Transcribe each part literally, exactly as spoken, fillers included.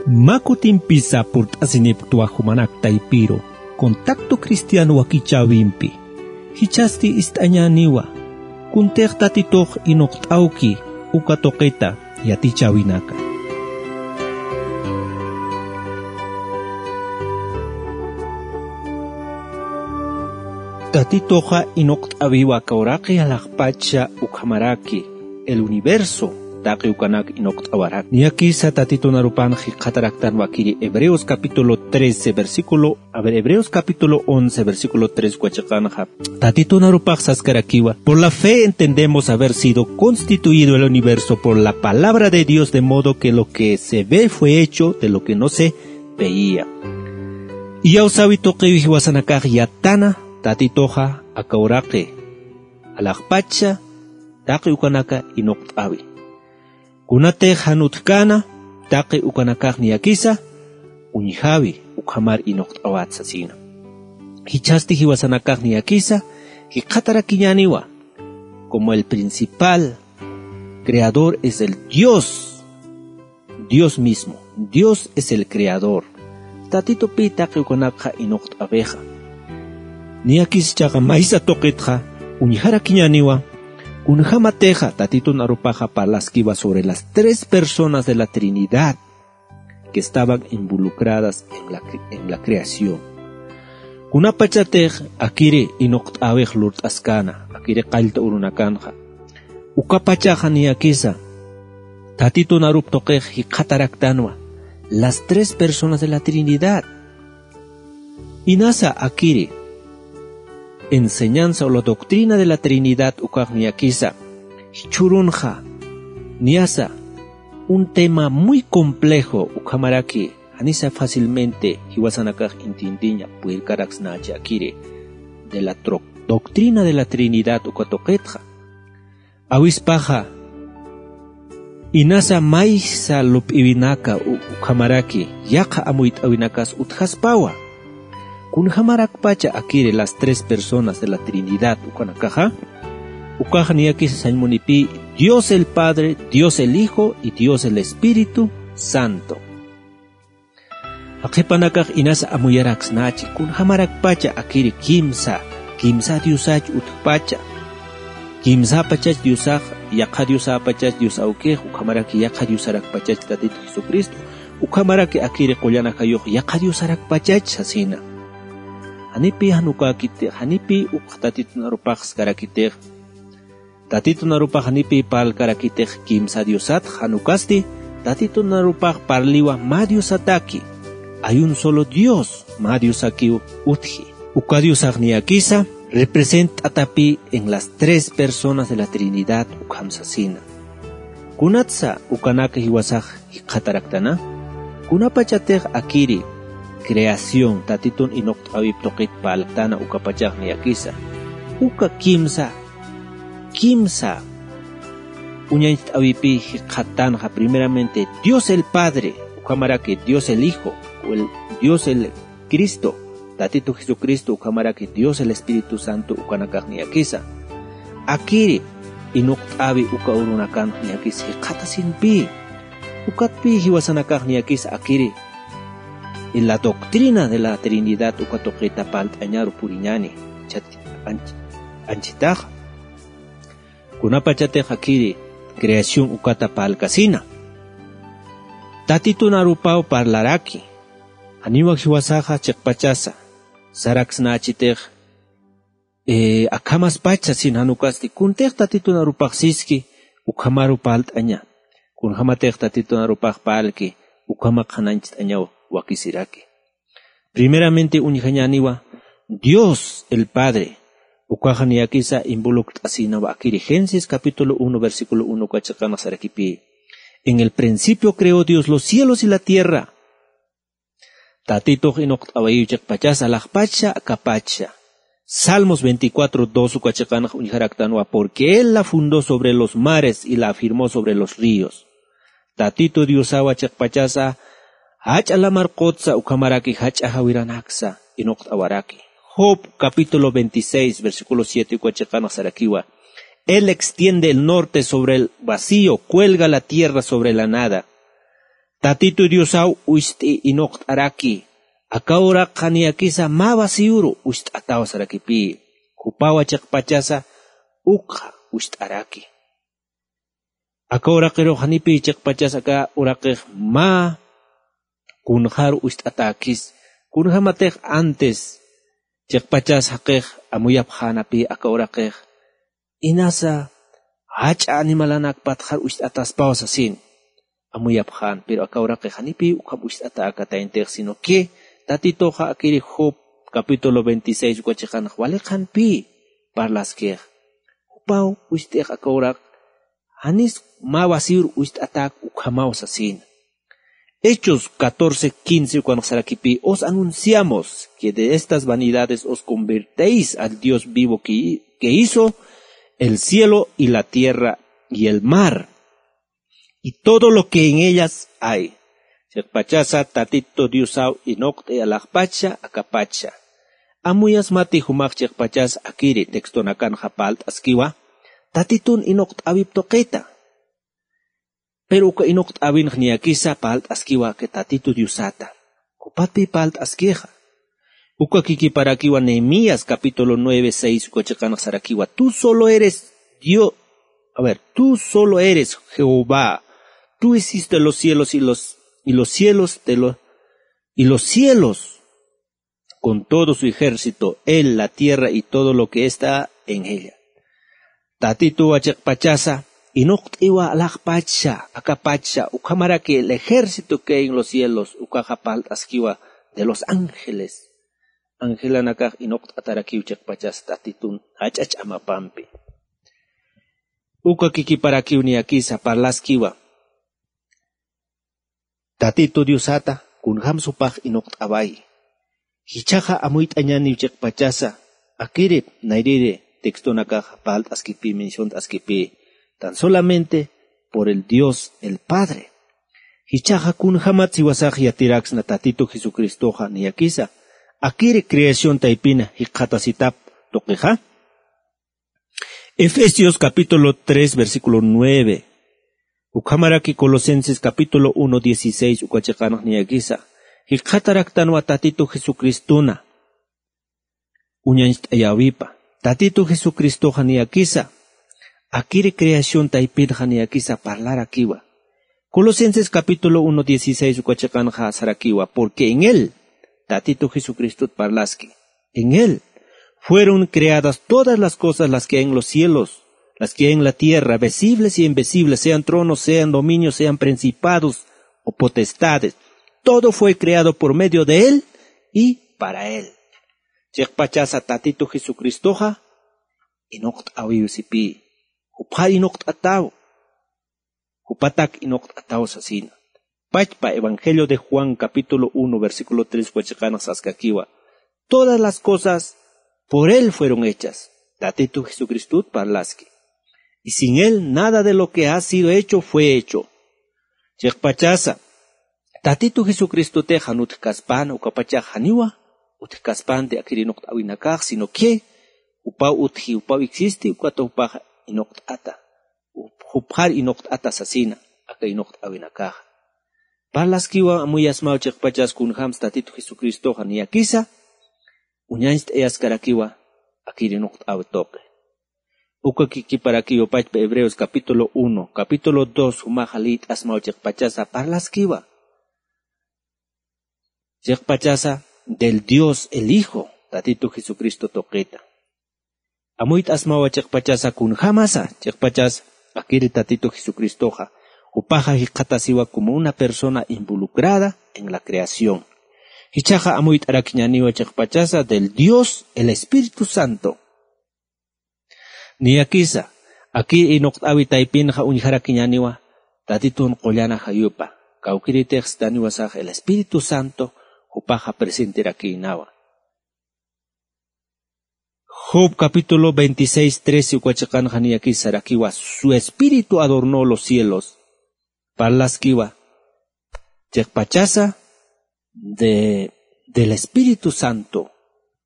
Mä kutimpisa purt'asinipktwa jumanak taypiru contacto cristiano wakichäwimpi. Jichhasti ist'añäniwa kuntix Tatitux inuqt'awki uka tuqita yatichäwinaka. Tatituxa inuqt'äwiwa aka uraqi alaxpacha ukhamaraki el universo taqi ukanak inuqt'awarak. Niyakisa Tatitun arupan jikxataraktanwa akiri Hebreos capítulo trece, versículo, a ver, Hebreos capítulo once, versículo tres uka chiqanxa. Tatitun arupax saskarakiwa: Por la fe entendemos haber sido constituido el universo por la palabra de Dios, de modo que lo que se ve fue hecho de lo que no se veía. Iyawsawi tuqiw jiwasanakax yatana Tatituxa aka uraqi alaxpacha taqi ukanaka inuqt'äwi. Kunatix jan utjkäna taqi ukanakax niyakisa uñjäwi ukhamar inuqt'awat sasina. Jichhasti jiwasanakax niyakisa jikxatarakiñäniwa como el principal creador es el Dios, Dios mismo. Dios es el creador. Tatitupï taqi ukanakxa inuqt'äwixa. Niyakis jichhaxa maysa tuqitxa uñjarakiñäniwa kunjämatixa Tatitun arupaxa parlaskiwa sobre las tres personas de la Trinidad que estaban involucradas en la cre-, en la creación. Kunapachatix akiri inuqt'äwix lurt'askäna, akiri qallta urunakanxa, ukapachaxa niyakisa Tatitun arup tuqix jikxataraktanwa las tres personas de la Trinidad. Inasa akiri enseñanza o la doctrina de la Trinidad ukax niyakisa jichhürunxa niyasa un tema muy complejo, ukhamaraki janisa fácilmente jiwasanakax entiendeña purirkaraksnachi akiri de la tro-, doctrina de la Trinidad uka tuqitxa. Awispaxa inasa maysa lup'iwinaka u-, ukhamaraki yaqha amuyt'äwinakas utjaspawa. Kunjämarakpacha akiri las tres personas de la Trinidad ukanakaxa, ukax niyakisa sañ munipï Dios el Padre, Dios el Hijo y Dios el Espíritu Santo. Jaqhipanakax inasa amuyaraksnachi kunjämarakpacha akiri kimsa, kimsa Diosach utjpacha. Kimsäpachach Diosax, yaqha Diosäpachach Dios awkix, ukhamaraki yaqha Diosarakpachach Tatitu Jesucristo, ukhamaraki akiri qullan ajayux yaqha Diosarakpachach sasina. Janipï jan ukäkitix, janipï uk Tatitun arupax saskarakitix, Tatitun arupax janipï parlkarakitix kimsa Diosat, jan ukasti Tatitun arupax parliwa mä Diosataki. Hay un solo Dios, mä Diosakiw utji. Uka Diosax niyakisa representt'atapï en las tres personas de la Trinidad ukham sasina. Kunatsa ukanak jiwasax jikxataraktana? Kunapachatix akiri creación Tatitun inuqt'äwip tuqit parlktana ukapachax niyakisa uka kimsa, kimsa uñañcht'äwipï jikxattanxa, primeramente Dios el Padre, ukhamaraki Dios el Hijo, o el Dios el Cristo, Tatitu Jesucristo, ukhamaraki Dios el Espíritu Santo ukanakax niyakisa akiri inuqt'äwi uka urunakan niyakis jikxatasinpï. Ukatpï jiwasanakax niyakis akiri la doctrina de la Trinidad uka tuqita parlt'añaru puriñäni. Chat anch-, anchitaxa. Kunapachatix akiri creación ukata parlkasina, Tatitun arupaw parlaraki. Janiw jiwasaxa chiqpachasa saraksnächitix, eh, akhamaspacha sasin, jan ukasti kuntix Tatitun arupax siski ukhamaru parlt'aña. Kunjämatix Tatitun arupax parlki, ukhamax qhanañcht'añaw wakisiraki. Primeramente uñjañäniwa Dios el Padre, ukaxa niyakisa involucrt'asinawa akiri Génesis capítulo uno, versículo uno uka chiqanx sarakipï: En el principio creó Dios los cielos y la tierra. Tatitux inuqt'awayiw chiqpachasa alaxpacha akapacha. Salmos veinticuatro dos uka chiqanx uñjaraktanwa: Porque él la fundó sobre los mares y la afirmó sobre los ríos. Tatitu Diosawa chiqpachasa jach'a lamar qutsa ukhamaraki jach'a jawiranaksa inuqt'awaraki. Job capítulo veintiséis, versículo siete uka chiqanx sarakiwa: Él extiende el norte sobre el vacío, cuelga la tierra sobre la nada. Tatitu Diosaw ucht'i inuqt'araki, aka uraqxa niyakisa mä vacíoru ucht'ataw sarakipï, jupawa chiqpachasa ukxa ucht'araki. Aka uraqirux janipï chiqpachas aka uraqix mä kunxar ucht'atäkis, kunjämatix antes chiqpachas jaqix amuyapxänapï aka uraqix, inasa jach'a animalanakpatxar ucht'ataspaw sasin amuyapxän, pero aka uraqix janipï ukham ucht'atäkataynitix, sino que Tatituxa akiri Job capítulo veintiséis uka chiqanx wali qhanpï parlaskix. Jupaw ucht'ix aka uraq janis mä vacíor ucht'atäk ukhamaw sasina. Hechos catorce quince ukanx sarakipï: Os anunciamos que de estas vanidades os convertéis al Dios vivo que, que hizo el cielo y la tierra y el mar y todo lo que en ellas hay. Chiqpachasa Tatitu Diosaw inuqt'i alaxpacha, akapacha. Amuyasmati jumax chiqpachas akiri textonakanxa parlt'askiwa Tatitun inuqt'äwip tuqita. Pero uka inuqt'äwinx niyakisa parlt'askiwa aka Tatitu Diosata. Jupatpï parlt'askixa. Uka kikiparakiwa Nehemías capítulo nueve seis uka chiqanx sarakiwa: Tú solo eres Dios, a ver, tú solo eres Jehová. Tú hiciste los cielos y los, y los cielos de los, y los cielos con todo su ejército, él, la tierra y todo lo que está en ella. Tatituwa chiqpachasa inuqt'iwa alaxpacha, akapacha, ukhamaraki el ejército que hay en los cielos, ukaxa parlt'askiwa de los ángeles. Angelanakax inuqt'atarakiw chiqpachas Tatitun jach'a ch'amapampi. Uka kikiparakiw niyakisa parlaskiwa Tatitu Diosata, kunjams jupax inuqt'awayi. Jichhaxa amuyt'añäniw chiqpachasa, akirip nayrïri textonakax parlt'askipï, menciont'askipï, tan solamente por el Dios el Padre. Jichhaxa kunjamat siwasax yatiraksna Tatitu Jesucristoxa niyakisa akiri creación taypina jikxatasitap tuqixa. Efesios capítulo tres, versículo nueve. Ukhamaraki Colosenses capítulo uno dieciséis uka chiqanx niyakisa jikxataraktanwa Tatitu Jesucristuna uñañcht'ayäwipa. Tatitu Jesucristoxa niyakisa akiri creación taypinxa niyakisa parlarakiwa. Colosenses capítulo uno dieciséis uka chiqanxa sarakiwa: Porque en él, Tatitu Jesucristot parlaski, en él fueron creadas todas las cosas, las que hay en los cielos, las que hay en la tierra, visibles y invisibles, sean tronos, sean dominios, sean principados o potestades. Todo fue creado por medio de él y para él. Chiqpachasa Tatitu Jesucristoxa inuqt'äwiw sipï, jupxar inuqt'ataw, jupatak inuqt'ataw sasina. Pachpa Evangelio de Juan capítulo uno, versículo tres uka chiqanx saskakiwa: Todas las cosas por él fueron hechas. Tatitu Jesucristot parlaski. Y sin él nada de lo que ha sido hecho fue hecho. Chiqpachasa Tatitu Jesucristotix jan utjkaspän, ukapachax janiwa utjkaspanti akir inuqt'äwinakax, sino que jupaw utji, jupaw existi, ukat jupax inuqt'ata. Jup-, jupxar inuqt'ata sasina aka inuqt'äwinakaxa. Parlaskiwa amuyasmaw chiqpachas kunjams Tatitu Jesucristoxa niyakisa uñañcht'ayaskarakiwa akir inuqt'äwi tuqi. Uka kikiparakiwa pachpa Hebreos capítulo uno, capítulo dos jumaxa liyt'asmaw chiqpachasa parlaskiwa. Chiqpachasa del Dios el Hijo, Tatitu Jesucristo tuqita. Amuyt'asmawa chiqpachasa kunjamasa, chiqpachas akiri Tatitu Jesucristoxa, jupaxa jikxatasiwa como una persona involucrada en la creación. Jichhaxa amuyt'arakiñäniwa chiqpachasa del Dios el Espíritu Santo. Niyakisa, akir inuqt'äwi taypinxa uñjarakiñäniwa Tatitun qullan ajayupa, kawkiritix sitaniwasax el Espíritu Santo jupaxa presenterakïnawa. Job capítulo veintiséis trece uka chiqanxa niyakisa sarakiwa: Su espíritu adornó los cielos. Parlaskiwa chiqpachasa de, del Espíritu Santo,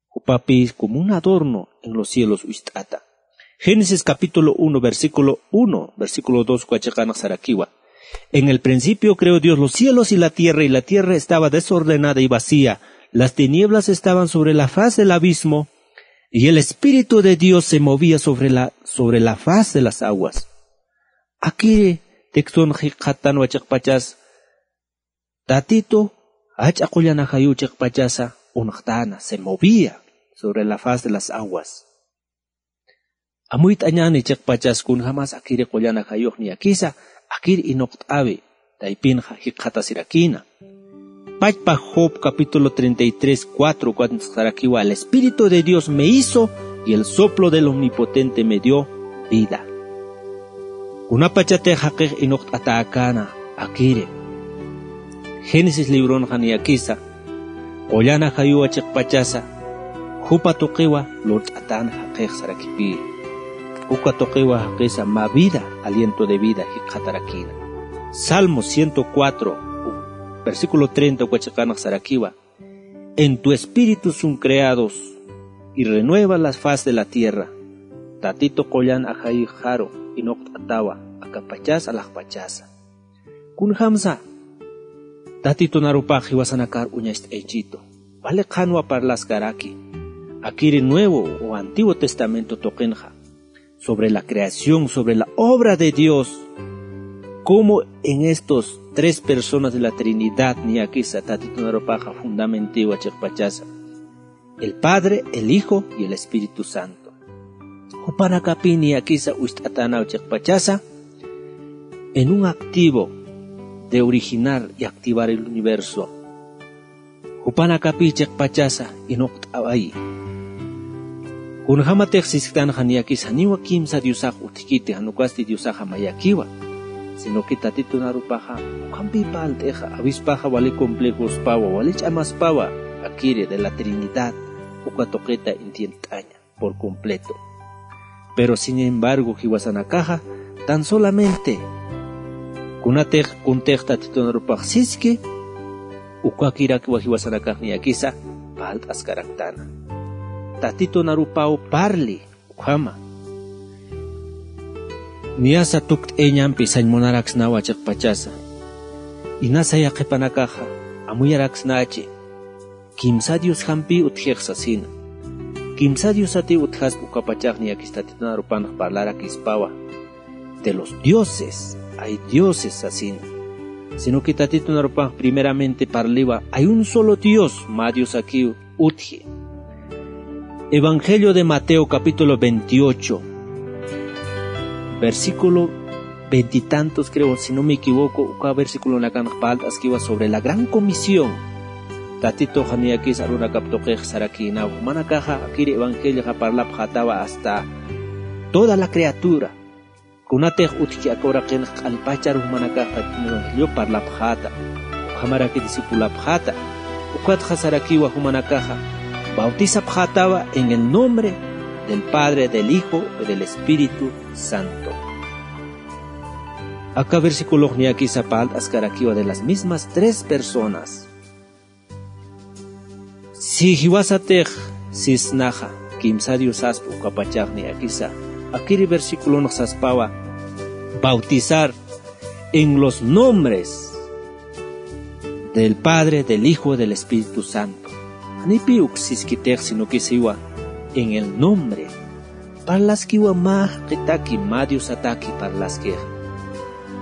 jupapï como un adorno en los cielos ucht'ata. Génesis capítulo uno, versículo uno, versículo dos uka chiqanx sarakiwa: En el principio creó Dios los cielos y la tierra, y la tierra estaba desordenada y vacía. Las tinieblas estaban sobre la faz del abismo, y el Espíritu de Dios se movía sobre la, sobre la faz de las aguas. Akiri texton jikxatanwa chiqpachas, Tatitu jach'a qullan ajayuw chiqpachasa uñxtäna, se movía sobre la faz de las aguas. Amuyt'añäni chiqpachas kunjamas akiri qullan ajayux niyakisa, akir inuqt'awi, taypinxa jikxatasirakïna. Pachpa Job capítulo treinta y tres, cuatro, ukat sarakiwa: "El Espíritu de Dios me hizo, y el soplo del Omnipotente me dio vida". Kunapachatix jaqix inuqt'atäkäna akiri. Génesis libronxa niyakisa, qullan ajayuwa chiqpachasa, jupa tuqiwa lurt'atän jaqix sarakipï. Uka tuqiwa jaqisa mä vida, aliento de vida jikxatarakïna. Salmo ciento cuatro, versículo treinta, uka chiqanx sarakiwa: "En tu espíritu son creados, y renueva la faz de la tierra". Tatitu qullan ajayixaru inuqt'atawa, akapachasa, alaxpachasa. Kunjamsa Tatitun arupax jiwasanakar uñacht'aychitu. Wali qhanwa parlaskaraki. Akiri Nuevo o Antiguo Testamento tuqinxa, sobre la creación, sobre la obra de Dios, cómo en estos tres personas de la Trinidad niyakisa Tatitun arupaxa fundamentiwa chiqpachasa: el Padre, el Hijo y el Espíritu Santo. Jupanakapï niyakisa uñacht'atänaw chiqpachasa, en un activo de originar y activar el universo. Jupanakapï chiqpachasa inuqt'awayi. Kunjamatix sisktanxa niyakisa janiwa kimsa diosax utjkiti, jan ukasti diosaxa mayakiwa, sino que Tatitun arupaxa ukhampï parlt'ixa, awispaxa wali complejospawa, wali ch'amaspawa, akiri de la Trinidad, uka tuqita entiendt'aña por completo. Pero sin embargo, jiwasanakaxa tan solamente kunatix kuntix Tatitun arupax siski, ukakirakiwa jiwasanakax niyakisa parlt'askaraktana. Tatitun arupaw parli, ukhama. Niyasa tukt'ayañampi sañ munaraksnawa chiqpachasa. Inasa yaqhipanakaxa amuyaraksnachi. Kimsa diosjampï utjix sasina. Kimsa diosatiw utjaspa ukapachax niyakis Tatitun arupanx parlarakispawa. De los dioses, hay dioses sasina. Sino que Tatitun arupanx primeramente parliwa, hay un solo Dios, mä diosakiw utji. Evangelio de Mateo, capítulo veintiocho, versículo veinte y tantos, creo, si no me equivoco, uka versículonakanx parlt'askiwa sobre la gran comisión. Tatitux niyakis arunakap tuqix sarakïnaw. Jumanakaxa akiri evangelioxa parlapxätawa hasta toda la criatura. Kunatix utjki aka uraqinx q'alpachar jumanakax Tatitun evangelio parlapxäta, ukhamaraki discipulapxäta. Ukatxa sarakiwa jumanakaxa, bautizapxätawa en el nombre del Padre, del Hijo y del Espíritu Santo. Aka versículox niyakisa parlt'askarakiwa de las mismas tres personas. Si jiwasatix sisnaxa, kimsa diosaspa ukapachax niyakisa, akiri versículonx saspawa, bautizar en los nombres del Padre, del Hijo, del Espíritu Santo. Janipï uk siskitix, sino que siwa, en el nombre. Parlaskiwa mä jaqitaki, mä diosataki parlaskix.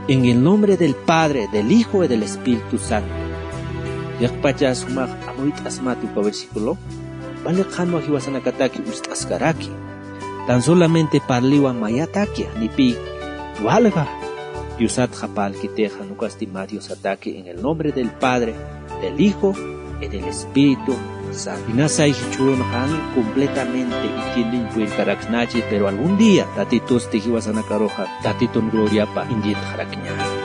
En el nombre del Padre, del Hijo y del Espíritu Santo. Yaqpachas jumax amuyt'asmati uka versículo. Wali qhanwa jiwasanakataki uñst'askaraki. Tan solamente parliwa mayataki, janipï walja diosatxa parlkitix, jan ukasti mä diosataki, en el nombre del Padre, del Hijo y del Espíritu Santo. Inasay jichhürunxa jan completamente entiendeñ purirkaraksnachi, pero algún día Tatitusti jiwasanakaruxa Tatitun gloriapa entiendxarakñäni.